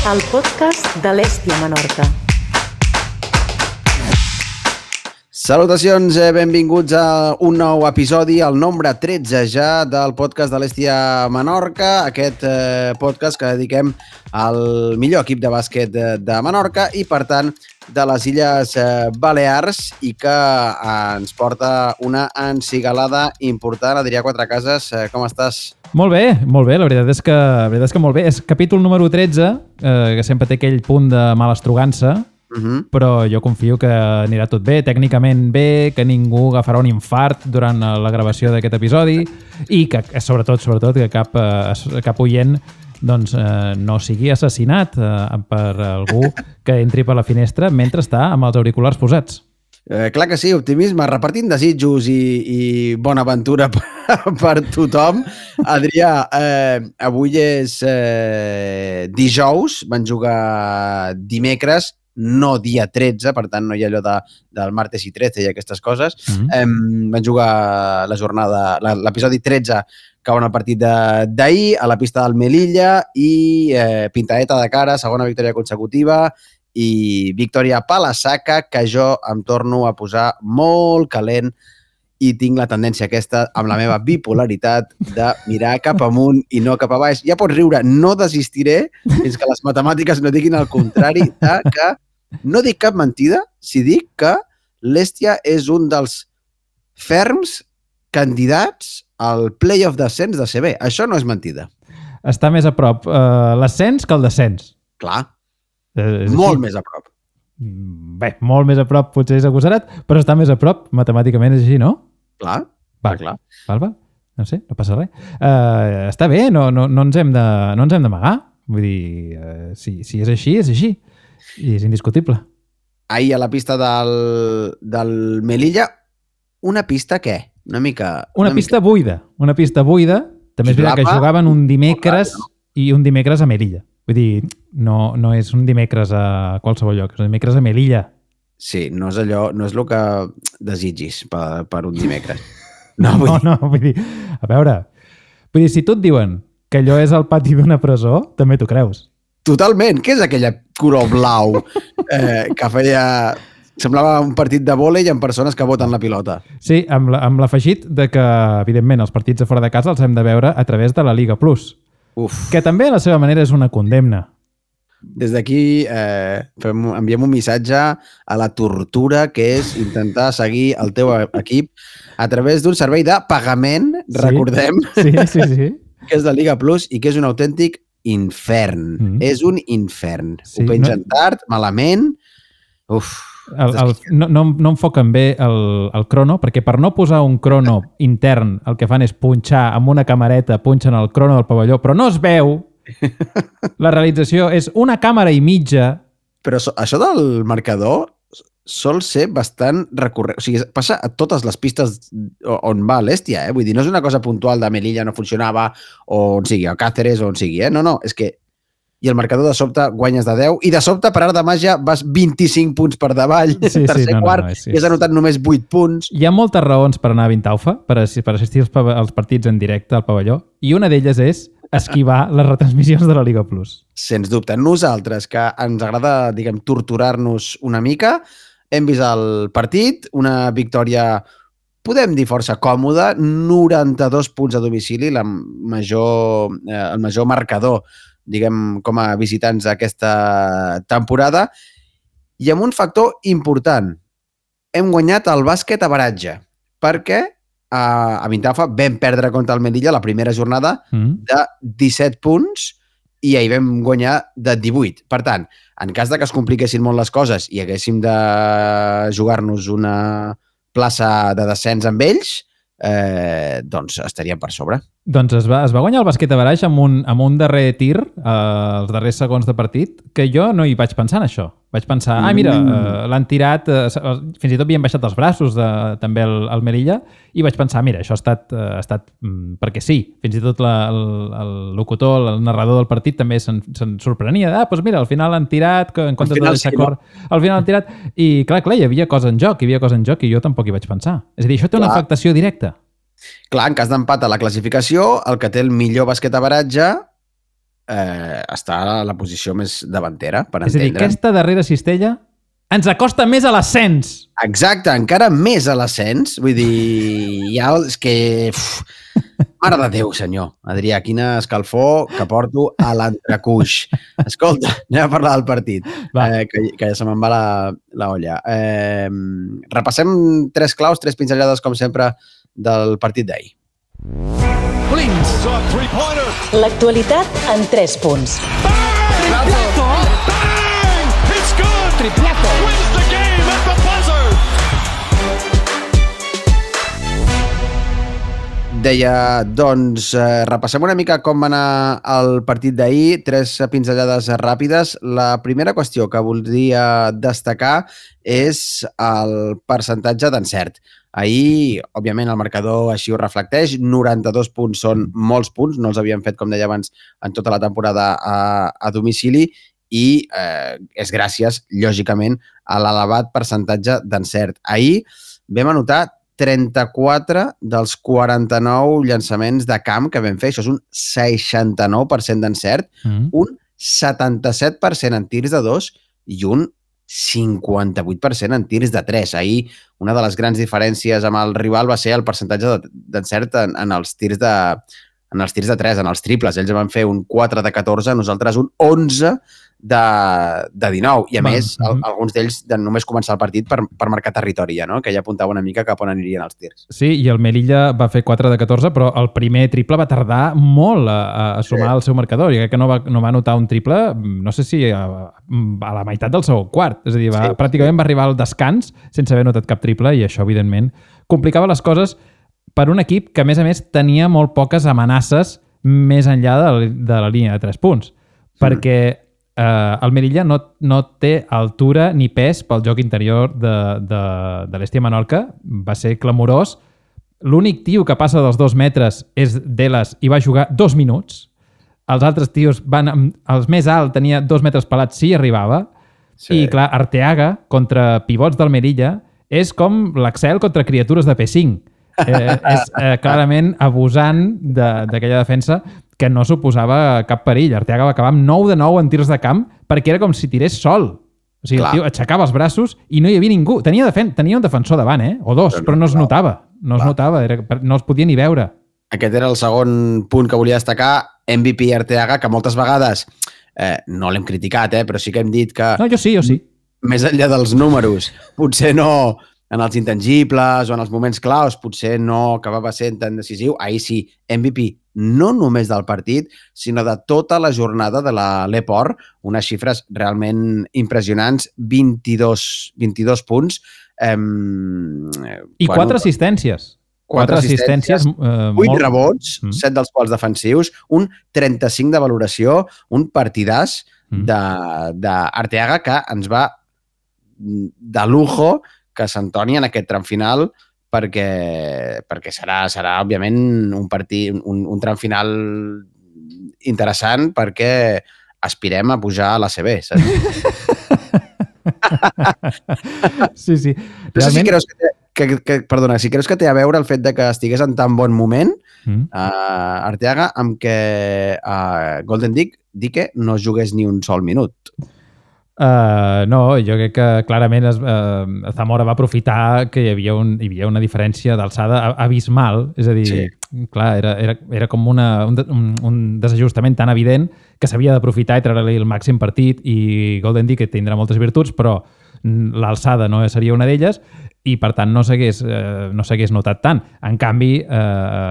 el podcast de l'Hèstia Menorca. Salutacions, benvinguts a un nou episodi, el nombre 13 ja del podcast de l'Hèstia Menorca, aquest podcast que dediquem al millor equip de bàsquet de Menorca i, per tant, de les Illes Balears i que ens porta una encigalada important. Adrià Quatrecases, com estàs? Molt bé, la veritat és que molt bé. És capítol número 13, que sempre té aquell punt de malastrugança, però jo confio que anirà tot bé, tècnicament bé, que ningú agafarà un infart durant la gravació d'aquest episodi i que, sobretot, que cap oient doncs, no sigui assassinat per algú que entri per la finestra mentre està amb els auriculars posats. Clar que sí, optimisme, repartint desitjos i bona aventura per tothom. Adrià, avui és dijous, van jugar dimecres, no dia 13, per tant no hi ha allò del martes i 13 i aquestes coses. Van jugar la jornada, l'episodi 13, que va el partit d'ahir a la pista del Melilla i pintadeta de cara, segona victòria consecutiva i victòria a la saca, que jo em torno a posar molt calent i tinc la tendència aquesta, amb la meva bipolaritat, de mirar cap amunt i no cap a baix. Ja pots riure, no desistiré fins que les matemàtiques no diguin el contrari, que no dic cap mentida si dic que l'Hèstia és un dels ferms candidats al playoff d'ascens de CB. Això no és mentida. Està més a prop l'ascens que el descens. Clar, molt més a prop. Bé, molt més a prop potser és agosarat, però està més a prop, matemàticament és així, no? Clar, clar. Va. No sé, no passa res. Està bé, no ens hem d'amagar. Vull dir, si és així, és així. I és indiscutible. Ahir a la pista del Melilla, una pista què? Una pista buida. Una pista buida. També és veritat que jugaven un dimecres i un dimecres a Melilla. Vull dir, no és un dimecres a qualsevol lloc, és un dimecres a Melilla. Sí, no és allò, no és el que desitgis per un dimecres. No, vull dir, a veure, si tu et diuen que allò és el pati d'una presó, també t'ho creus. Totalment. Què és aquella color blau que feia... Semblava un partit de vòlei amb persones que voten la pilota. Sí, amb l'afegit de que, evidentment, els partits de fora de casa els hem de veure a través de la Liga Plus. Que també a la seva manera és una condemna. Des d'aquí enviem un missatge a la tortura que és intentar seguir el teu equip a través d'un servei de pagament, recordem, sí. que és la Liga Plus i que és un autèntic infern. És un infern. Ho pengen tard, malament. No enfoquen bé el crono, perquè per no posar un crono intern el que fan és punxar amb una camareta, punxen el crono del pavelló, però no es veu. La realització és una càmera i mitja. Però això del marcador sol ser bastant recurrent. O sigui, passa a totes les pistes on va l'Hèstia, Vull dir, no és una cosa puntual de Melilla no funcionava, o on sigui, a Càceres, o on sigui, No, és que i el marcador de sobte guanyes de 10 i de sobte, per art de màgia, vas 25 punts per davall, quart, i has anotat només 8 punts. Hi ha moltes raons per anar a Vintaufa, per assistir als partits en directe al pavelló, i una d'elles és esquivar les retransmissions de la Liga Plus. Sens dubte. Nosaltres, que ens agrada, torturar-nos una mica, hem vist el partit, una victòria, podem dir, força còmoda, 92 punts a domicili, el major marcador com a visitants d'aquesta temporada, i amb un factor important. Hem guanyat el bàsquet a baratge, perquè a Vintaufa vam perdre contra el Melilla la primera jornada de 17 punts i ahir vam guanyar de 18. Per tant, en cas de que es compliquessin molt les coses i haguéssim de jugar-nos una plaça de descens amb ells, doncs estaríem per sobre. Doncs es va guanyar el bàsquet a baraix amb un darrer tir, els darrers segons de partit, que jo no hi vaig pensar en això. Vaig pensar, mira, l'han tirat, fins i tot havien baixat els braços també el Melilla, i vaig pensar, mira, això ha estat perquè sí. Fins i tot el locutor, el narrador del partit també se'n sorprenia. Doncs mira, al final han tirat, en comptes de deixar córrer, al final han tirat, i clar, hi havia cosa en joc, i jo tampoc hi vaig pensar. És a dir, això té una afectació directa. Clar, en cas d'empat a la classificació, el que té el millor bàsquet a baratge està a la posició més davantera, per És a dir, entendre. aquesta darrera cistella ens acosta més a l'ascens. Exacte, encara més a l'ascens. Vull dir, ja és que... Mare de Déu, senyor. Adrià, quina escalfor que porto a l'entrecuix. Escolta, anem a parlar del partit, que ja se me'n va la olla. Repassem 3 claus, 3 pinzellades, com sempre, del partit d'ahir. L'actualitat en 3 punts. Triplazo. Wins the game at the buzzer. Deia, doncs, repassem una mica com va anar el partit d'ahir, 3 pinzellades ràpides. La primera qüestió que voldria destacar és el percentatge d'encert. Ahir, òbviament, el marcador així ho reflecteix. 92 punts són molts punts, no els havien fet, com deia abans, en tota la temporada a domicili, i és gràcies, lògicament, a l'elevat percentatge d'encert. Ahir vam anotar 34 dels 49 llançaments de camp que vam fer. Això és un 69% d'encert, un 77% en tirs de 2 i un 58% en tirs de 3. Ahir, una de les grans diferències amb el rival va ser el percentatge d'encert en els tirs de 3, en els triples. Ells van fer un 4 de 14, nosaltres un 11 de 19. I a més, alguns d'ells de només començar el partit per marcar territori, ja, no? Que ja apuntava una mica cap on anirien els tirs. Sí, i el Melilla va fer 4 de 14, però el primer triple va tardar molt a sumar el seu marcador. Jo crec que no va anotar un triple, no sé si a la meitat del segon quart. És a dir, pràcticament va arribar al descans sense haver notat cap triple, i això, evidentment, complicava les coses per un equip que, a més, tenia molt poques amenaces més enllà de la línia de 3 punts. Perquè el Melilla no té altura ni pes pel joc interior de l'Hèstia Menorca. Va ser clamorós. L'únic tio que passa dels 2 metres és Delas i va jugar 2 minuts. Els altres tios els més alt tenia 2 metres pelats, sí arribava. Sí. I clar, Arteaga contra pivots del Melilla és com l'Axel contra criatures de P5. És clarament abusant d'aquella defensa que no suposava cap perill. Arteaga va acabar amb 9 de 9 en tirs de camp perquè era com si tirés sol. O sigui, el tio aixecava els braços i no hi havia ningú. Tenia un defensor davant, o 2, però no es notava. No es notava, no es podia ni veure. Aquest era el segon punt que volia destacar. MVP Arteaga, que moltes vegades no l'hem criticat, però sí que hem dit que... No, jo sí. Més enllà dels números, potser no... En els intangibles o en els moments claus potser no acabava sent tan decisiu. Ahir sí, MVP no només del partit, sinó de tota la jornada de l'Eport. Unes xifres realment impressionants, 22 punts. I 4 assistències. 4 assistències. 8 rebots, 7 dels quals defensius, un 35 de valoració, un partidàs d'Arteaga que ens va de lujo que s'entoni en aquest tram final perquè serà òbviament, un tram final interessant perquè aspirem a pujar a l'ACB, saps? Sí. No sé si creus perdona, si creus que té a veure el fet de que estigués en tan bon moment Arteaga amb que Golden Dike no jugués ni un sol minut. No, jo crec que clarament Zamora va aprofitar que hi havia una diferència d'alçada abismal, és a dir, clar, era com un desajustament tan evident que s'havia d'aprofitar i treure-li el màxim partit, i Golden Dike tindrà moltes virtuts, però l'alçada no seria una d'elles, i per tant no s'hagués notat tant. En canvi,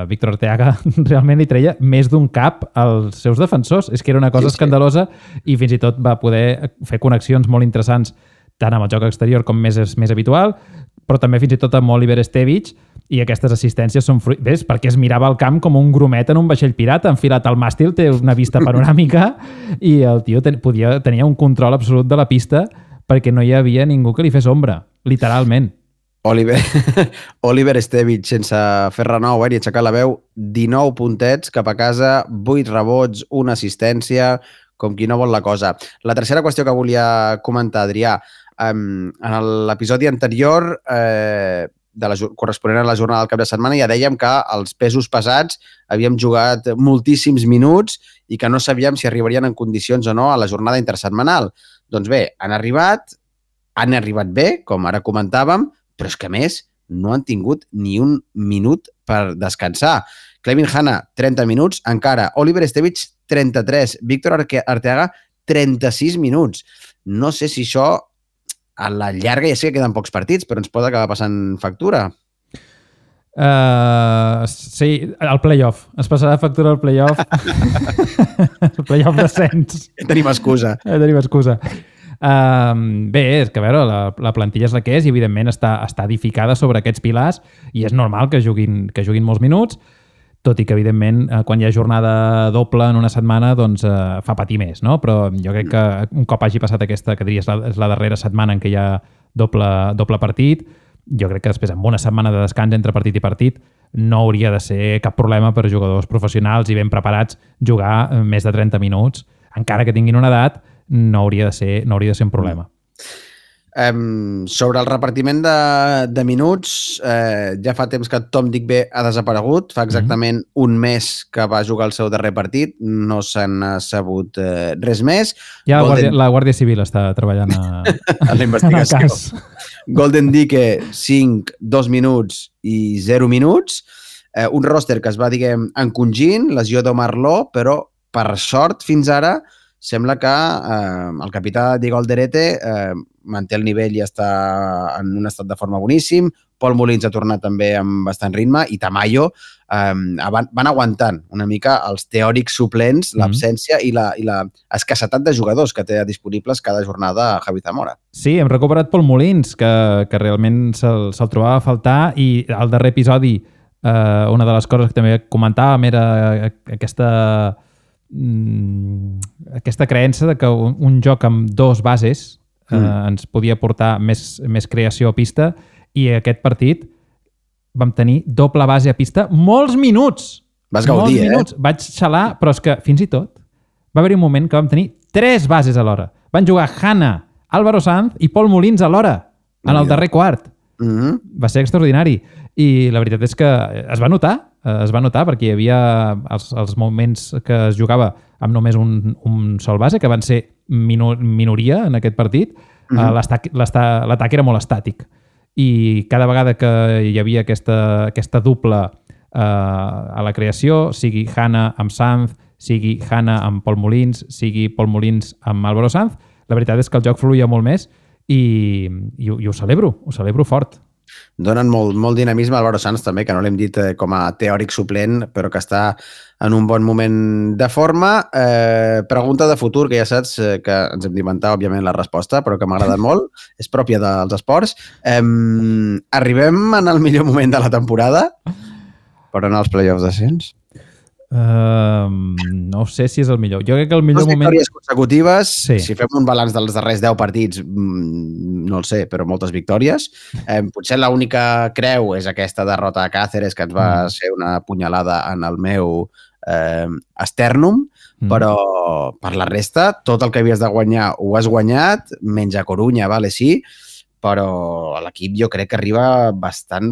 Víctor Arteaga realment li treia més d'un cap als seus defensors. És que era una cosa escandalosa, i fins i tot va poder fer connexions molt interessants tant amb el joc exterior com més habitual, però també fins i tot amb Oliver Estevich, i aquestes assistències són fruit... Ves, perquè es mirava el camp com un grumet en un vaixell pirata, enfilat al màstil, té una vista panoràmica, i el tio tenia un control absolut de la pista perquè no hi havia ningú que li fes ombra, literalment. Oliver Estevich, sense fer renou ni aixecar la veu, 19 puntets cap a casa, 8 rebots, una assistència, com qui no vol la cosa. La tercera qüestió que volia comentar, Adrià, en l'episodi anterior corresponent a la jornada del cap de setmana ja dèiem que els pesos pesats havíem jugat moltíssims minuts i que no sabíem si arribarien en condicions o no a la jornada intersetmanal. Doncs bé, han arribat bé, com ara comentàvem, però és que a més no han tingut ni un minut per descansar. Clevin Hanna, 30 minuts, encara. Oliver Estevich, 33. Víctor Arteaga, 36 minuts. No sé si això a la llarga, ja sé que queden pocs partits, però ens pot acabar passant factura. Sí, el playoff. Es passarà factura al playoff. El playoff d'ascens. Tenim excusa. Tenim excusa. Bé, és que a veure, la plantilla és la que és i evidentment està edificada sobre aquests pilars i és normal que juguin molts minuts, tot i que evidentment quan hi ha jornada doble en una setmana doncs fa patir més, no? Però jo crec que un cop hagi passat aquesta, que diria és la darrera setmana en què hi ha doble partit, jo crec que després amb una setmana de descans entre partit i partit no hauria de ser cap problema per jugadors professionals i ben preparats jugar més de 30 minuts, encara que tinguin una edat, no hauria de ser un problema. Sobre el repartiment de minuts, ja fa temps que Tom Digbe ha desaparegut, fa exactament un mes que va jugar el seu darrer partit, no se n'ha sabut res més. Ja la Guàrdia Civil està treballant a la investigació. Golden Dike, 5, 2 minuts i 0 minuts. Un roster que es va, diguem, encongint, lesió d'Omar Lo, però per sort fins ara sembla que el capità Diego Alderete manté el nivell i està en un estat de forma boníssim. Pol Molins ha tornat també amb bastant ritme i Tamayo van aguantant una mica els teòrics suplents, l'absència i la escassetat de jugadors que té disponibles cada jornada a Javi Zamora. Sí, hem recuperat Pol Molins, que realment se'l trobava a faltar i al darrer episodi una de les coses que també comentàvem era aquesta creença de que un joc amb dos bases ens podia portar més creació a pista i aquest partit vam tenir doble base a pista molts minuts. Vas gaudir, minuts. Vaig xalar, però és que fins i tot va haver un moment que vam tenir 3 bases alhora. Van jugar Hanna, Álvaro Sanz i Pol Molins alhora en el darrer quart. Va ser extraordinari. I la veritat és que es va notar perquè hi havia els moments que es jugava amb només un sol base, que van ser minoria en aquest partit. L'atac era molt estàtic. I cada vegada que hi havia aquesta dupla a la creació, sigui Hanna amb Sanz, sigui Hanna amb Pol Molins, sigui Pol Molins amb Álvaro Sanz, la veritat és que el joc fluïa molt més i ho celebro fort. Donen molt dinamisme a Álvaro Sanz també, que no l'hem dit com a teòric suplent, però que està en un bon moment de forma. Pregunta de futur, que ja saps que ens hem d'inventar, òbviament, la resposta, però que m'ha agradat molt. És pròpia dels esports. Arribem en el millor moment de la temporada per anar als playoffs d'ascens? No sé si és el millor. Jo crec que el millor moment... 2 victòries consecutives, sí. Si fem un balanç dels darrers 10 partits, no el sé, però moltes victòries. Potser l'única creu és aquesta derrota a Cáceres, que ens va ser una punyalada en el meu estèrnum, però per la resta, tot el que havies de guanyar ho has guanyat, menys a Corunya, vale, sí, però l'equip jo crec que arriba bastant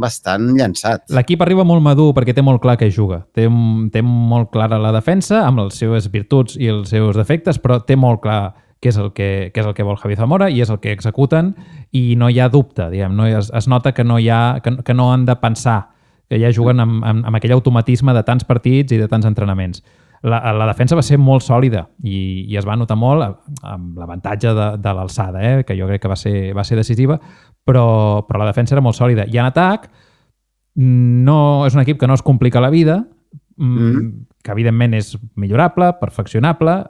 llançat. L'equip arriba molt madur perquè té molt clar què juga. Té molt clara la defensa, amb les seves virtuts i els seus defectes, però té molt clar què és el que vol Javi Zamora i és el que executen i no hi ha dubte, diguem, no? Es nota que no han de pensar, que ja juguen amb aquell automatisme de tants partits i de tants entrenaments. La defensa va ser molt sòlida i es va notar molt amb l'avantatge de l'alçada, que jo crec que va ser decisiva, però la defensa era molt sòlida. I en atac no és un equip que no es complica la vida, que evidentment és millorable, perfeccionable.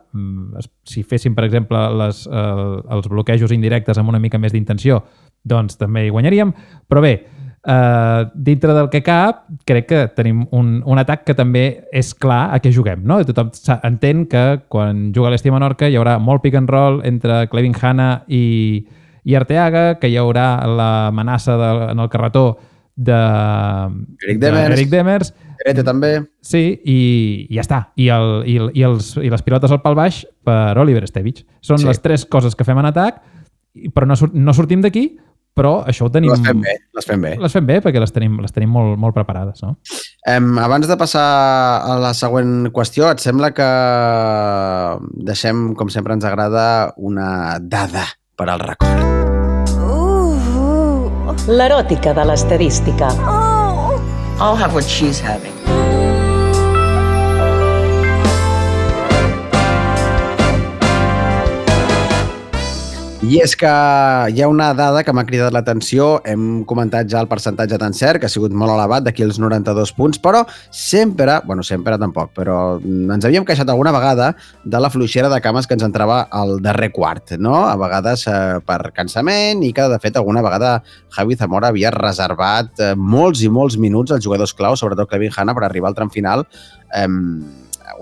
Si féssim, per exemple, els bloquejos indirectes amb una mica més d'intenció, doncs també hi guanyaríem. Però bé, dintre del que cap, crec que tenim un atac que també és clar a què juguem, no? Tothom entén que quan juga l'Esti Menorca hi haurà molt pick and roll entre Clevin Hanna i Arteaga, que hi haurà l'amenaça en el carretó d'Eric Demers. Erete també. Sí, i ja està. I les pilotes al pal baix per Oliver Estevich. Són les 3 coses que fem en atac, però no sortim d'aquí però això ho tenim... Les fem bé, les fem bé. Les fem bé perquè les tenim molt, molt preparades, no? Abans de passar a la següent qüestió, et sembla que deixem, com sempre ens agrada, una dada per al record. L'eròtica de l'estadística. I'll have what she's having. I és que hi ha una dada que m'ha cridat l'atenció. Hem comentat ja el percentatge d'encert, que ha sigut molt elevat, d'aquí els 92 punts, però sempre tampoc, però ens havíem queixat alguna vegada de la fluixera de cames que ens entrava al darrer quart, no? A vegades per cansament i que, de fet, alguna vegada Javi Zamora havia reservat molts i molts minuts als jugadors clau, sobretot Kevin Hanna, per arribar al tram final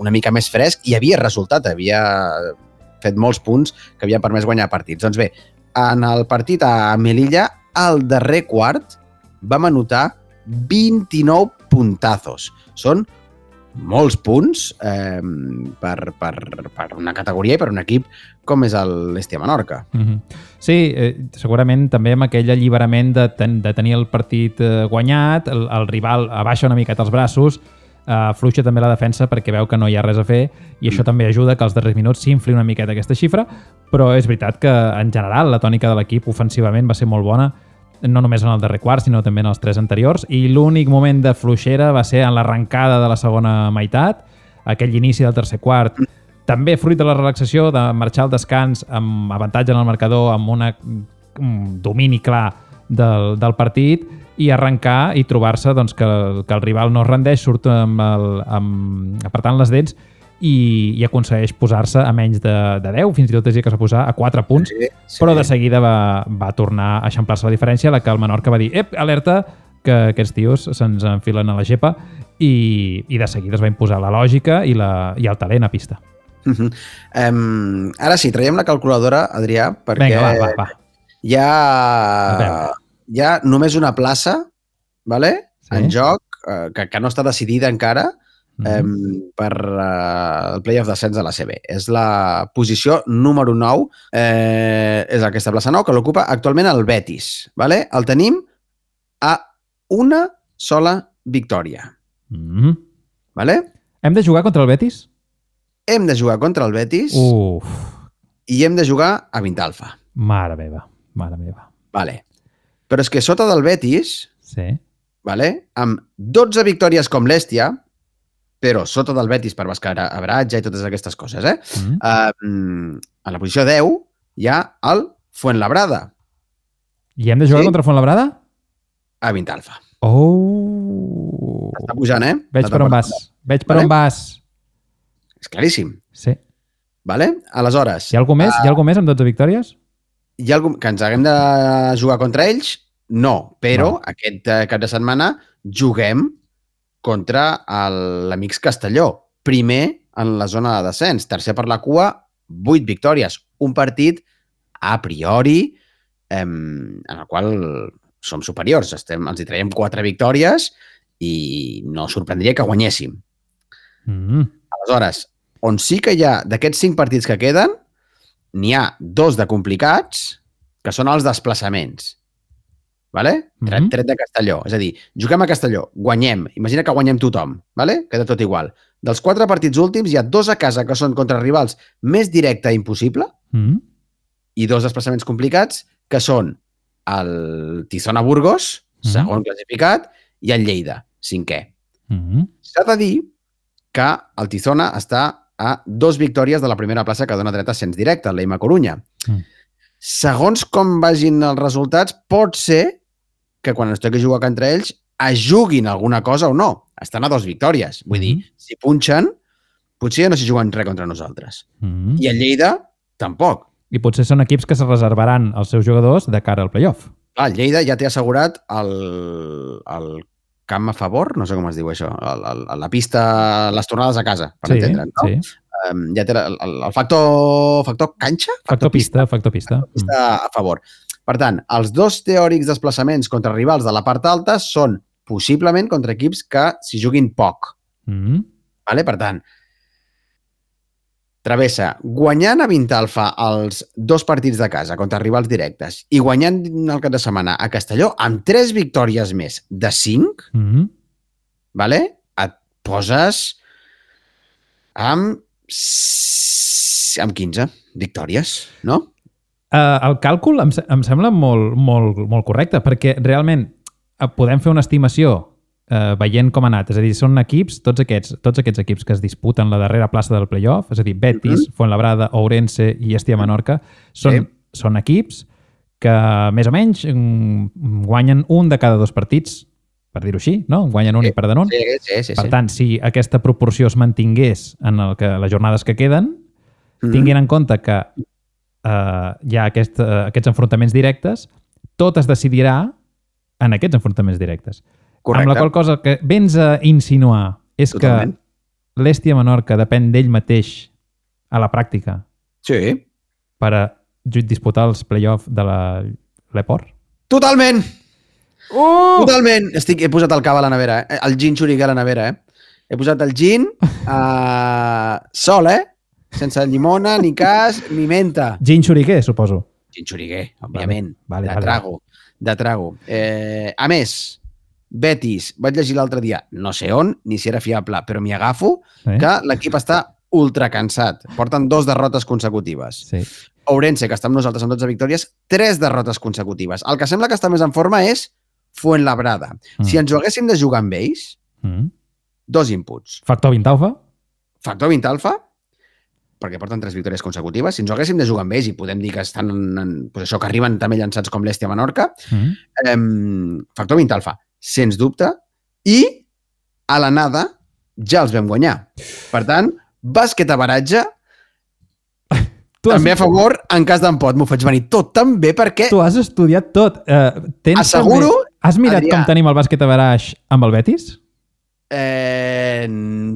una mica més fresc i havia resultat, havia fet molts punts que havien permès guanyar partits. Doncs bé, en el partit a Melilla, al darrer quart, vam anotar 29 puntazos. Són molts punts per una categoria i per un equip com és l'Hestia Menorca. Sí, segurament també amb aquell alliberament de tenir el partit guanyat, el rival abaixa una miqueta els braços, fluixa també la defensa perquè veu que no hi ha res a fer i això també ajuda que als darrers minuts s'infli una miqueta aquesta xifra, però és veritat que en general la tònica de l'equip ofensivament va ser molt bona, no només en el darrer quart sinó també en els 3 anteriors, i l'únic moment de fluixera va ser en l'arrencada de la segona meitat, aquell inici del tercer quart, també fruit de la relaxació, de marxar al descans amb avantatge en el marcador, amb un domini clar del partit, i arrencar i trobar-se doncs, que el rival no es rendeix, surt apretant les dents i aconsegueix posar-se a menys de 10, fins i tot és que s'ha posat a 4 punts, sí. Però de seguida va tornar a eixamplar-se la diferència, la que el Menorca va dir, alerta, que aquests tios se'ns enfilen a la gepa, i de seguida es va imposar la lògica i el talent a pista. Ara sí, traiem la calculadora, Adrià, perquè vinga, va. Hi ha només una plaça, vale? Sí. En joc, que no està decidida encara per el playoff d'ascens de la CB. És la posició número 9, és aquesta plaça 9, que l'ocupa actualment el Betis. Vale? El tenim a una sola victòria. Vale? Hem de jugar contra el Betis? Hem de jugar contra el Betis i hem de jugar a Vintalfa. Mare meva. Vale. Però és que sota del Betis, sí. Vale, amb 12 victòries com l'Hèstia, però sota del Betis per avratge i totes aquestes coses, a la posició 10 hi ha el Fuenlabrada. I hem de jugar contra Fuenlabrada? A Vintalfa. Està pujant, Veig per on vas. És claríssim. Sí. Vale? Aleshores... Hi ha algú més? Hi ha algú més amb 12 victòries? Hi ha algú que ens haguem de jugar contra ells? No, però aquest cap de setmana juguem contra l'Amics Castelló. Primer en la zona de descens, tercer per la cua, 8 victòries. Un partit a priori en el qual som superiors. Els hi traiem 4 victòries i no sorprendria que guanyéssim. Aleshores, on sí que hi ha, d'aquests 5 partits que queden, n'hi ha 2 de complicats, que són els desplaçaments. Vale? Tret de Castelló. És a dir, juguem a Castelló, guanyem. Imagina que guanyem tothom. Vale? Queda tot igual. Dels 4 partits últims hi ha 2 a casa que són contra rivals més directe i impossible i 2 desplaçaments complicats que són el Tizona Burgos, segon classificat, i el Lleida, 5è. S'ha de dir que el Tizona està a 2 victòries de la primera plaça que dona dret a ascens directe, l'Eima Corunya. Segons com vagin els resultats, pot ser que quan es toqui jugar contra ells es juguin alguna cosa o no. Estan a 2 victòries. Vull dir, si punxen, potser no s'hi juguen res contra nosaltres. I el Lleida, tampoc. I potser són equips que se reservaran els seus jugadors de cara al playoff. El Lleida ja té assegurat el camp a favor, no sé com es diu això, la pista, les tornades a casa, per entendre'n, no? Sí. Ja té el factor canxa? Factor pista. A favor. Per tant, els 2 teòrics desplaçaments contra rivals de la part alta són possiblement contra equips que s'hi juguin poc. Vale? Per tant, travessa guanyant a Vintalfa els 2 partits de casa contra rivals directes i guanyant el cap de setmana a Castelló amb 3 victòries més de 5, vale? Et poses amb 15 victòries, no? El càlcul em sembla molt correcte, perquè realment podem fer una estimació veient com ha anat. És a dir, són equips, tots aquests equips que es disputen la darrera plaça del playoff, és a dir, Betis, Fuenlabrada, Ourense i Estia Menorca, són equips que més o menys guanyen un de cada 2 partits, per dir-ho així, no? Guanyen un i perden un. Sí. Per tant, si aquesta proporció es mantingués en les jornades que queden, tinguin en compte que hi ha aquests enfrontaments directes, tot es decidirà en aquests enfrontaments directes. Correcte. Amb la qual cosa que vens a insinuar és Totalment. que l'Estia Menorca depèn d'ell mateix a la pràctica per a disputar els play-off de l'Eport? Totalment! Totalment! He posat el cava a la nevera, el gin xuriguer a la nevera, He posat el gin sol, sense llimona, ni cas, ni menta. Gin xuriguer, suposo. Gin xuriguer, òbviament. Vale. De trago. A més, Betis, vaig llegir l'altre dia, no sé on, ni si era fiable, però m'hi agafo, que l'equip està ultra cansat. Porten 2 derrotes consecutives. Sí. Ourense, que està amb nosaltres amb 12 victòries, 3 derrotes consecutives. El que sembla que està més en forma és Fuenlabrada. Si ens ho haguéssim de jugar amb ells, 2 inputs. Factor Vintalfa? Factor Vintalfa, perquè porten 3 victòries consecutives. Si ens ho haguéssim de jugar amb ells i podem dir que estan pues això, que arriben també llançats com l'Estia Menorca, Factor Vintalfa, sens dubte, i a l'anada ja els vam guanyar. Per tant, bàsquet a baratge, també a favor en cas d'empot. M'ho faig venir tot tan bé perquè... Tu has estudiat tot. Asseguro... Has mirat com tenim el bàsquet a baraix amb el Betis?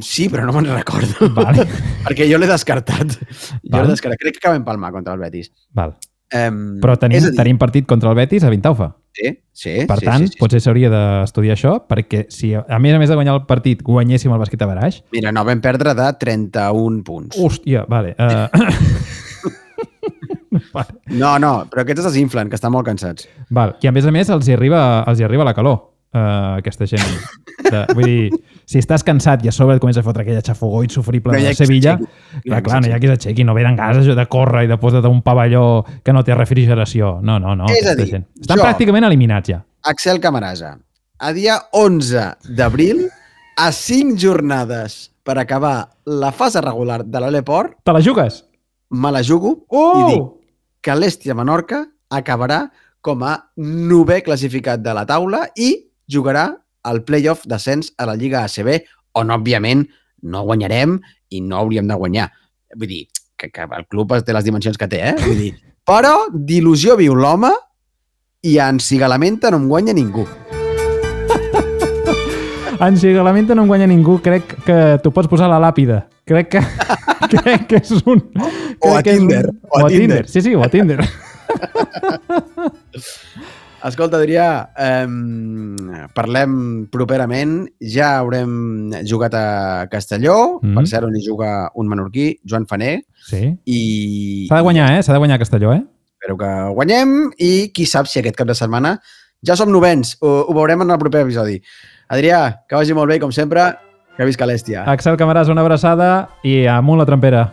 Sí, però no me'n recordo. Vale. Perquè jo l'he descartat. Crec que acabem palmar contra el Betis. Val. Però tenim partit contra el Betis a Vintalfa. Sí. Per tant, potser s'hauria d'estudiar això, perquè si a més de guanyar el partit guanyéssim el bàsquet a baraix... Mira, no vam perdre de 31 punts. Hòstia, vale. No, però aquests es desinflen, que estan molt cansats. Val. I a més els hi arriba la calor, aquesta gent. Vull dir, si estàs cansat i a sobre et comença a fotre aquella xafogó insufrible de Sevilla, clar, no hi ha qui s'aixequi, no venen ganes de córrer i de posar un pavelló que no té refrigeració. No. És a dir, estan pràcticament eliminats ja. Axel Camarasa, a dia 11 d'abril, a 5 jornades per acabar la fase regular de l'Eport, te la jugues? Me la jugo i dic que l'Estia Menorca acabarà com a 9è classificat de la taula i jugarà el playoff d'ascens a la Lliga ACB, on, òbviament, no guanyarem i no hauríem de guanyar. Vull dir, que el club té les dimensions que té, Vull dir, però d'il·lusió viu l'home i en Cigalamenta no em guanya ningú. En Cigalamenta no em guanya ningú. Crec que t'ho pots posar a la làpida. Crec que és un... O a Tinder. Sí, o a Tinder. Escolta, Adrià, parlem properament. Ja haurem jugat a Castelló, per cert, on hi juga un menorquí, Joan Faner. Sí. I... S'ha de guanyar, S'ha de guanyar Castelló, Espero que guanyem i qui sap si aquest cap de setmana ja som novens. Ho veurem en el proper episodi. Adrià, que vagi molt bé, com sempre, que visca l'Estia. Axel Camarasa, una abraçada i amunt la trampera.